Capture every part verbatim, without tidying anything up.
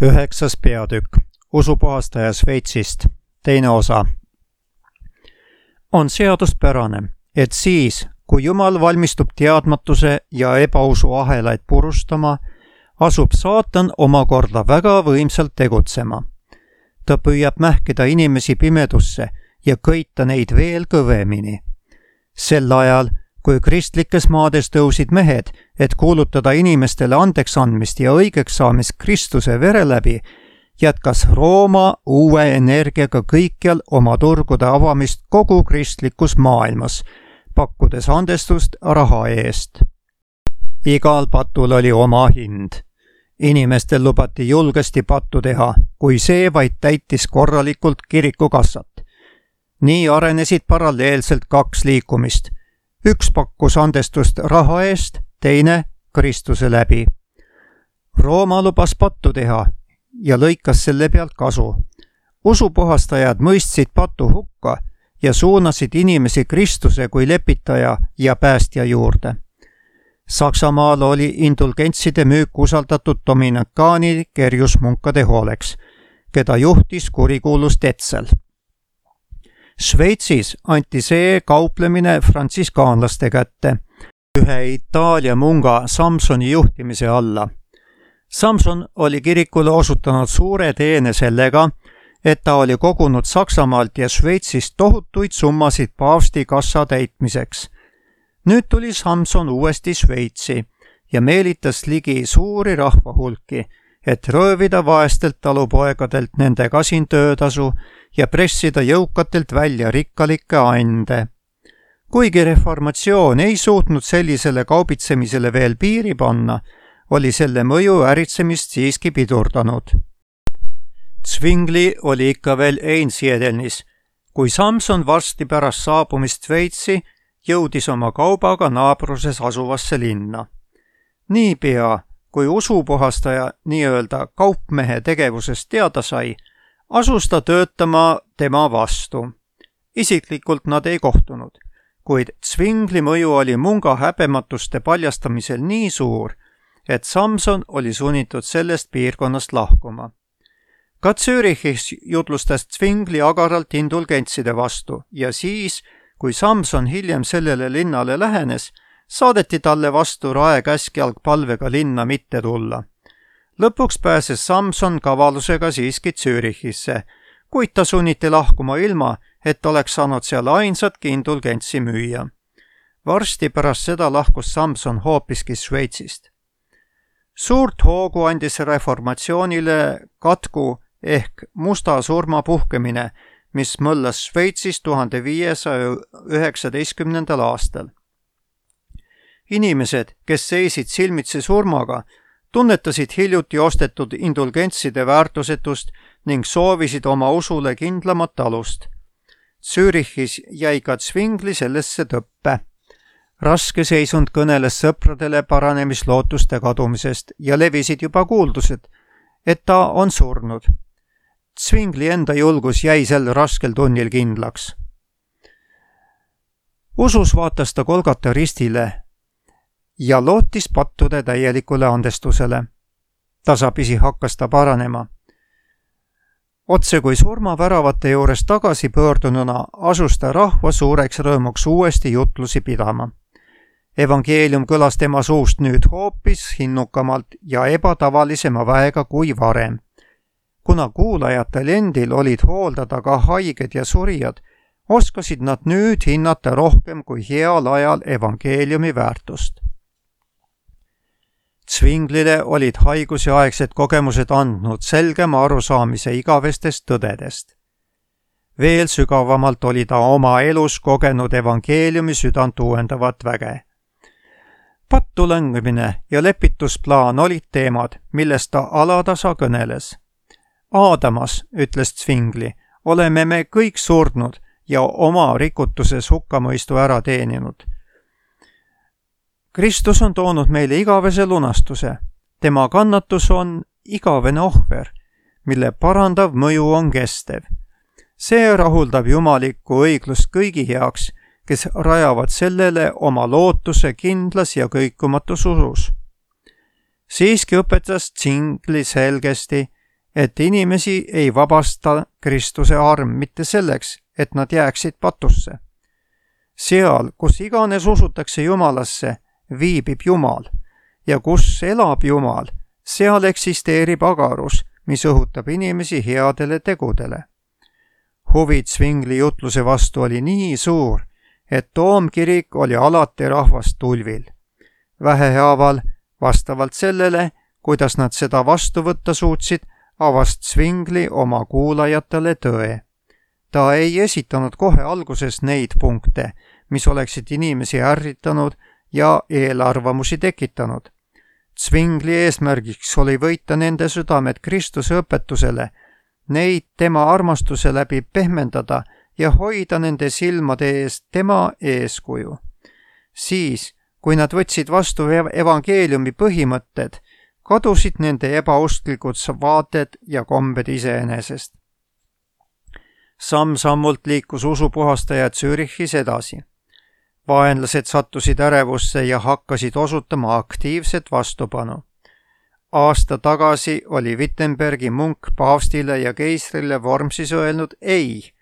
Üheksas peatükk. Usupuhastaja Šveitsist. Teine osa. On seaduspärane, et siis, kui Jumal valmistub teadmatuse ja ebausu ahelaid purustama, asub saatan omakorda väga võimsalt tegutsema. Ta püüab mähkida inimesi pimedusse ja köita neid veel kõvemini. Sel ajal, kui kristlikes maades tõusid mehed, et kuulutada inimestele andeks andmist ja õigeks saamist Kristuse vere läbi, jätkas Rooma uue energiaga kõikjal oma turgude avamist kogu kristlikus maailmas, pakkudes andestust raha eest. Igal patul oli oma hind. Inimestel lubati julgesti pattu teha, kui see vaid täitis korralikult kirikukassat. Nii arenesid paralleelselt kaks liikumist. Üks pakkus andestust raha eest, teine Kristuse läbi. Rooma lubas pattu teha ja lõikas selle pealt kasu. Usupuhastajad mõistsid patu hukka ja suunasid inimesi Kristuse kui lepitaja ja päästja juurde. Saksamaal oli indulgentside müük usaldatud dominikaani kerjusmunkade hooleks, keda juhtis kurikuulus Tetzel. Šveitsis anti see kauplemine frantsiskaanlaste kätte, ühe Itaalia munga Samsoni juhtimise alla. Samson oli kirikule osutanud suure teene sellega, et ta oli kogunud Saksamaalt ja Šveitsist tohutuid summasid paavsti kassa täitmiseks. Nüüd tuli Samson uuesti Šveitsi ja meelitas ligi suuri rahvahulki, et röövida vaestelt talupoegadelt nende kasin töötasu ja pressida jõukatelt välja rikkalikke ande. Kuigi reformatsioon ei suutnud sellisele kaubitsemisele veel piiri panna, oli selle mõju äritsemist siiski pidurdanud. Zwingli oli ikka veel Einsiedelnis, kui Samson varsti pärast saabumist Šveitsi jõudis oma kaubaga naabruses asuvasse linna. Niipea, kui usupuhastaja nii-öelda kaupmehe tegevusest teada sai, asus ta töötama tema vastu. Isiklikult nad ei kohtunud, kuid Zwingli mõju oli munga häbematuste paljastamisel nii suur, et Samson oli sunnitud sellest piirkonnast lahkuma. Ka Zürichis jutlustas Zwingli agaralt indulgentside vastu ja siis, kui Samson hiljem sellele linnale lähenes, saadeti talle vastu raekäskjalg palvega linna mitte tulla. Lõpuks pääses Samson kavalusega siiski Zürichisse, kuid ta sunniti lahkuma ilma, et oleks saanud seal ainsatki indulgentsi müüa. Varsti pärast seda lahkus Samson hoopiski Šveitsist. Suurt hoogu andis reformatsioonile katku ehk musta surma puhkemine, mis möllas Šveitsis tuhande viiesaja üheksateistkümnendal aastal. Inimesed, kes seisid silmitsi surmaga, tunnetasid hiljuti ostetud indulgentside väärtusetust ning soovisid oma usule kindlamat alust. Zürichis jäi ka Zwingli sellesse tõppe. Raske seisund kõneles sõpradele paranemislootuste kadumisest ja levisid juba kuuldused, et ta on surnud. Zwingli enda julgus jäi sel raskel tunnil kindlaks. Usus vaatas ta Golgata ristile ja lootis pattude täielikule andestusele. Tasapisi hakkas ta paranema. Otse kui surmaväravate juures tagasi pöördununa asus ta rahva suureks rõõmuks uuesti jutlusi pidama. Evangeelium kõlas tema suust nüüd hoopis hinnukamalt ja ebatavalisema väega kui varem. Kuna kuulajatel endil olid hooldada ka haiged ja surijad, oskasid nad nüüd hinnata rohkem kui heal ajal evangeeliumi väärtust. Zwinglile olid haiguseaegsed kogemused andnud selgema arusaamise igavestest tõdedest. Veel sügavamalt oli ta oma elus kogenud evangeeliumi südant uuendavat väge. Pattu langemine ja lepitusplaan olid teemad, millest ta alatasa kõneles. Aadamas, ütles Zwingli, oleme me kõik surnud ja oma rikutuses hukkamõistu ära teeninud. Kristus on toonud meile igavese lunastuse. Tema kannatus on igavene ohver, mille parandav mõju on kestev. See rahuldab jumalikku õiglust kõigi heaks, kes rajavad sellele oma lootuse kindlas ja kõikumatus usus. Siiski õpetas Zwingli selgesti, et inimesi ei vabasta Kristuse arm mitte selleks, et nad jääksid patusse. Seal, kus iganes usutakse Jumalasse, viibib Jumal ja kus elab Jumal, seal eksisteerib agarus, mis õhutab inimesi headele tegudele. Huvi Zwingli jutluse vastu oli nii suur, et Toomkirik oli alati rahvast tulvil. Vähehaaval, vastavalt sellele, kuidas nad seda vastu võtta suutsid, avas Zwingli oma kuulajatele tõe. Ta ei esitanud kohe alguses neid punkte, mis oleksid inimesi ärritanud ja eelarvamusi tekitanud. Zwingli eesmärgiks oli võita nende südamed Kristuse õpetusele, neid tema armastuse läbi pehmendada ja hoida nende silmade ees tema eeskuju. Siis, kui nad võtsid vastu evangeeliumi põhimõtted, kadusid nende ebausklikud vaated ja kombed iseenesest. Samm-sammult liikus usupuhastaja Zürichis edasi. Vaenlased sattusid ärevusse ja hakkasid osutama aktiivset vastupanu. Aasta tagasi oli Wittenbergi munk paavstile ja keisrile Wormsis öelnud ei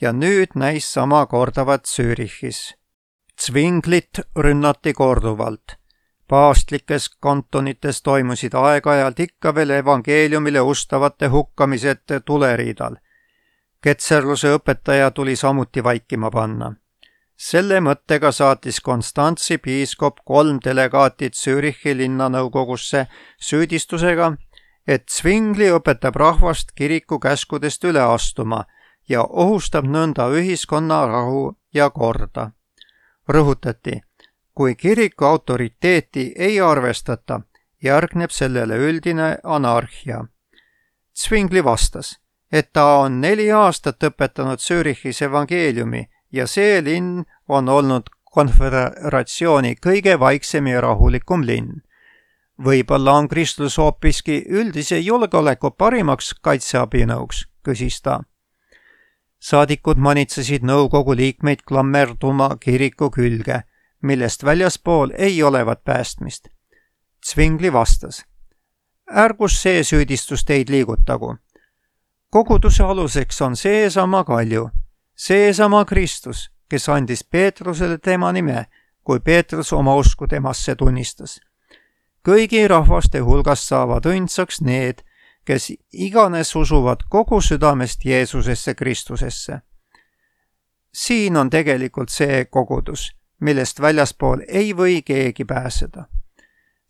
ja nüüd näis sama kordavat Zürichis. Zwinglit rünnati korduvalt. Paavstlikes kantonites toimusid aeg-ajalt ikka veel evangeeliumile ustavate hukkamised tuleriidal. Ketserluse õpetaja tuli samuti vaikima panna. Selle mõttega saatis Konstantsi piiskop kolm delegaatid Zürichi linnanõukogusse süüdistusega, et Zwingli õpetab rahvast kiriku käskudest üle astuma ja ohustab nõnda ühiskonna rahu ja korda. Rõhutati, kui kiriku autoriteeti ei arvestata, järgneb sellele üldine anarhia. Zwingli vastas, et ta on neli aastat õpetanud Zürichis evangeeliumi ja see linn on olnud konföderatsiooni kõige vaiksem ja rahulikum linn. Võib-olla on kristlus hoopiski üldise julgeoleku parimaks kaitseabinõuks, küsis ta. Saadikud manitsesid nõukogu liikmeid klammerduma kiriku külge, millest väljaspool ei olevat päästmist. Zwingli vastas, ärgus see süüdistus teid liigutagu. Koguduse aluseks on seesama kalju, seesama Kristus, kes andis Peetrusele tema nime, kui Peetrus oma usku temasse tunnistas. Kõigi rahvaste hulgast saavad õndsaks need, kes iganes usuvad kogu südamest Jeesusesse Kristusesse. Siin on tegelikult see kogudus, millest väljaspool ei või keegi pääseda.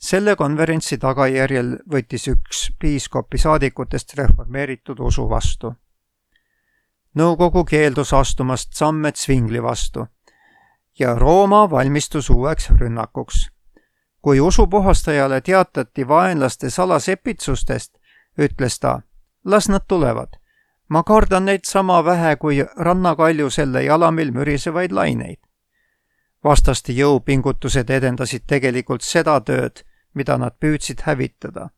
Selle konverentsi tagajärjel võttis üks piiskopi saadikutest reformeeritud usu vastu. Nõukogu keeldus astumast samme Zwingli vastu ja Rooma valmistus uueks rünnakuks. Kui usupuhastajale teatati vaenlaste salasepitsustest, ütles ta, las nad tulevad. Ma kardan neid sama vähe kui rannakalju selle jalamil mürisevaid laineid. Vastaste jõupingutused edendasid tegelikult seda tööd, mida nad püüdsid hävitada.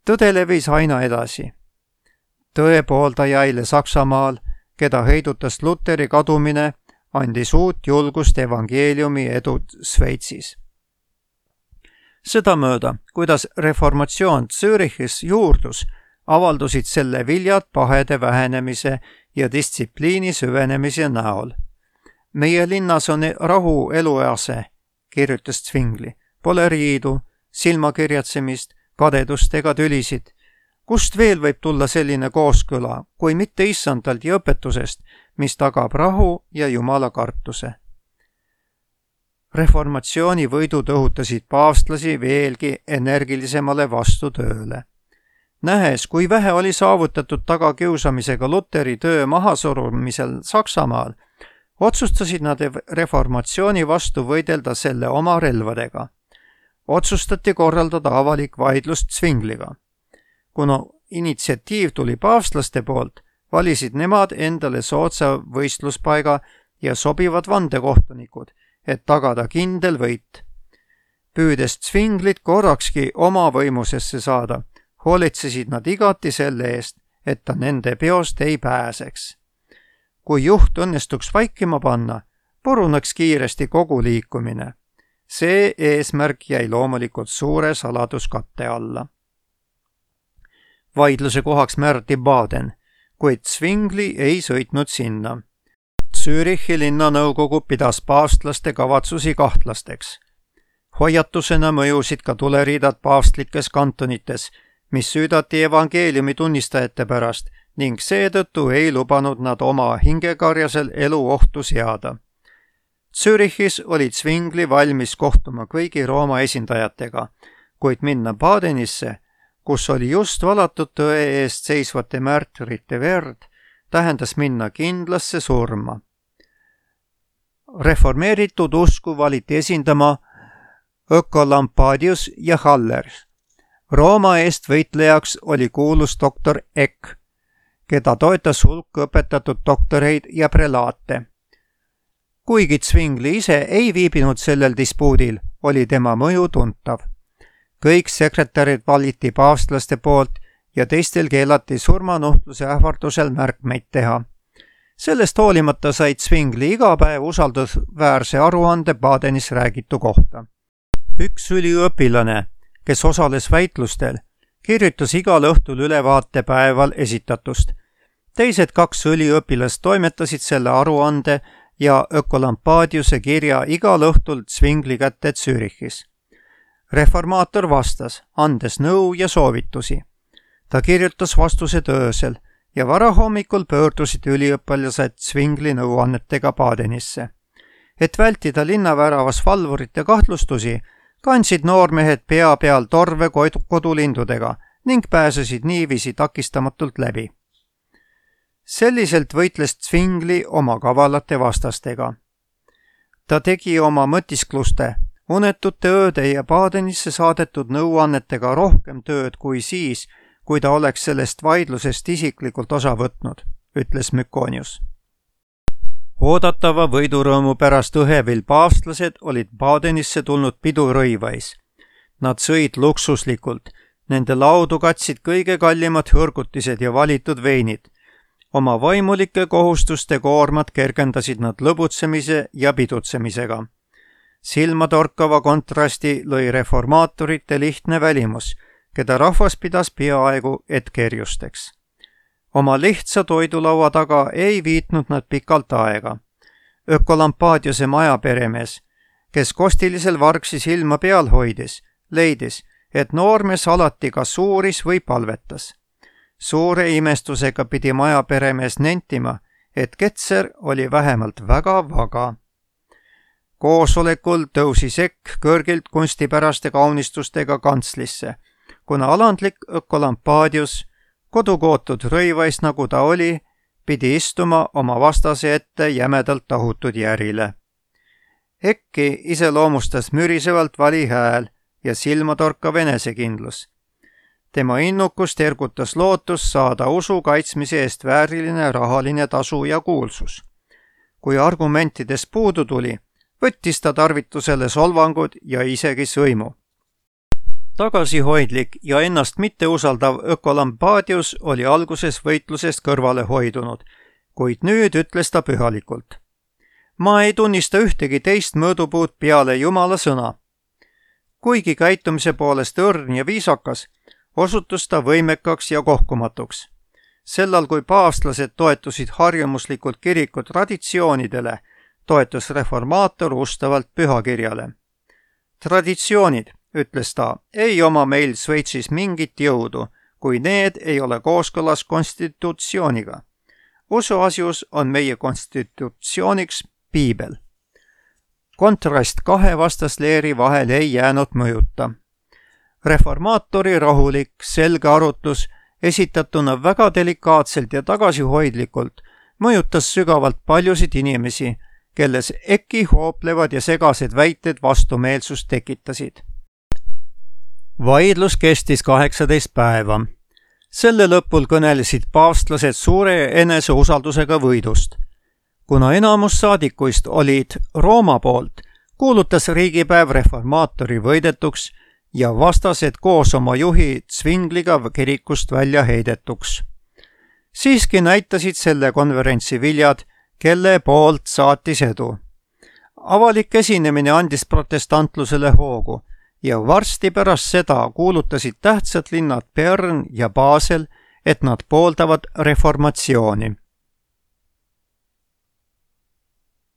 Tõde levis aina edasi. Tõepooldajaile Saksamaal, keda heidutas Luteri kadumine, andis uut julgust evangeeliumi edu Sveitsis. Sedamööda, kuidas reformatsioon Zürichis juurdus, avaldusid selle viljad pahede vähenemise ja distsipliini süvenemise näol. Meie linnas on rahu eluease, kirjutas Zwingli. Pole riidu, silmakirjatsemist, kadedust ega tülisid. Kust veel võib tulla selline kooskõla, kui mitte issandalt ja õpetusest, mis tagab rahu ja Jumala kartuse? Reformatsiooni võidud õhutasid paavstlasi veelgi energilisemale vastutööle. Nähes, kui vähe oli saavutatud tagakiusamisega Luteri töö mahasurumisel Saksamaal, otsustasid nad reformatsiooni vastu võidelda selle oma relvadega. Otsustati korraldada avalik vaidlus Zwingliga. Kuna initsiatiiv tuli paavstlaste poolt, valisid nemad endale soodsa võistluspaiga ja sobivad vandekohtunikud, et tagada kindel võit. Püüdes Zwinglit korrakski oma võimusesse saada, hoolitsesid nad igati selle eest, et ta nende peost ei pääseks. Kui juht õnnestuks vaikima panna, puruneks kiiresti kogu liikumine. See eesmärk jäi loomulikult suure saladuskatte alla. vaidluse kohaks määrati Baden, kuid Zwingli ei sõitnud sinna. Zürichi linnanõukogu pidas paavstlaste kavatsusi kahtlasteks. Hoiatusena mõjusid ka tuleriidad paavstlikes kantonites, mis süüdati evangeeliumi tunnistajate pärast ning seetõttu ei lubanud nad oma hingekarjasel elu ohtu seada. Zürichis oli Zwingli valmis kohtuma kõigi Rooma esindajatega, kuid minna Badenisse, kus oli just valatud tõe eest seisvate märtyrite verd, tähendas minna kindlasse surma. Reformeeritud usku valiti esindama Ökolampadius ja Haller. Rooma eest võitlejaks oli kuulus doktor Eck, keda toetas hulk õpetatud doktoreid ja prelaate. Kuigi Zwingli ise ei viibinud sellel dispuudil, oli tema mõju tuntav. Kõik sekretärid valiti paavstlaste poolt ja teistel keelati surmanuhtluse ähvardusel märkmeid teha. Sellest hoolimata said Zwingli iga päev usaldusväärse aruande Badenis räägitu kohta. Üks üliõpilane, kes osales väitlustel, kirjutas igal õhtul ülevaate päeval esitatust. Teised kaks üliõpilast toimetasid selle aruande ja Ökolampadiuse kirja igal õhtul Zwingli kätte Zürichis. Reformaator vastas, andes nõu ja soovitusi. Ta kirjutas vastused öösel ja varahommikul pöördusid üliõpilased Zwingli nõuannetega Badenisse. Et vältida linnaväravas valvurite kahtlustusi, kandsid noormehed pea peal torve kodulindudega ning pääsesid niiviisi takistamatult läbi. Selliselt võitles Zwingli oma kavalate vastastega. Ta tegi oma mõtiskluste, unetute ööde ja Badenisse saadetud nõuannetega rohkem tööd kui siis, kui ta oleks sellest vaidlusest isiklikult osa võtnud, ütles Mykonius. Oodatava võidurõõmu pärast õhevil paavstlased olid Badenisse tulnud pidurõivais. Nad sõid luksuslikult, nende laudu katsid kõige kallimad hõrgutised ja valitud veinid. Oma vaimulike kohustuste koormat kergendasid nad lõbutsemise ja pidutsemisega. Silmatorkava kontrasti lõi reformaatorite lihtne välimus, keda rahvas pidas peaaegu etkerjusteks. Oma lihtsa toidulaua taga ei viitnud nad pikalt aega. Ökolampadiuse majaperemees, kes kostilisel vargsi silma peal hoidis, leidis, et noormees alati kas suuris või palvetas. Suure imestusega pidi majaperemees nentima, et Ketser oli vähemalt väga vaga. Koosolekul tõusis Ekk kõrgilt kunstipäraste kaunistustega kantslisse, kuna alandlik Ökolampadius, kodukootud rõivais nagu ta oli, pidi istuma oma vastase ette jämedalt tahutud järile. Ekki iseloomustas mürisevalt vali hääl ja silmatorkav enesekindlus. Tema innukust ergutas lootus saada usu kaitsmise eest vääriline rahaline tasu ja kuulsus. Kui argumentides puudu tuli, võttis ta tarvitusele solvangud ja isegi sõimu. Tagasihoidlik ja ennast mitteusaldav Ökolampadius oli alguses võitlusest kõrvale hoidunud, kuid nüüd ütles ta pühalikult. Ma ei tunnista ühtegi teist mõõdupuud peale Jumala sõna. Kuigi käitumise poolest õrn ja viisakas, osutus ta võimekaks ja kohkumatuks. Sellal, kui paavstlased toetusid harjumuslikult kiriku traditsioonidele, toetus reformaator ustavalt pühakirjale. Traditsioonid, ütles ta, ei oma meil Šveitsis mingit jõudu, kui need ei ole kooskõlas konstitutsiooniga. Usuasjus on meie konstitutsiooniks piibel. Kontrast kahe vastasleeri vahel ei jäänud mõjuta. Reformaatori rahulik, selge arutlus, esitatuna väga delikaatselt ja tagasihoidlikult, mõjutas sügavalt paljusid inimesi, kelles Ekki hooplevad ja segased väited vastumeelsust tekitasid. Vaidlus kestis kaheksateist päeva. Selle lõpul kõnelesid paavstlased suure eneseusaldusega võidust. Kuna enamus saadikuist olid Rooma poolt, kuulutas riigipäev reformaatori võidetuks ja vastased koos oma juhi Zwingliga kirikust välja heidetuks. Siiski näitasid selle konverentsi viljad, kelle poolt saatis edu. Avalik esinemine andis protestantlusele hoogu ja varsti pärast seda kuulutasid tähtsad linnad Bern ja Basel, et nad pooldavad reformatsiooni.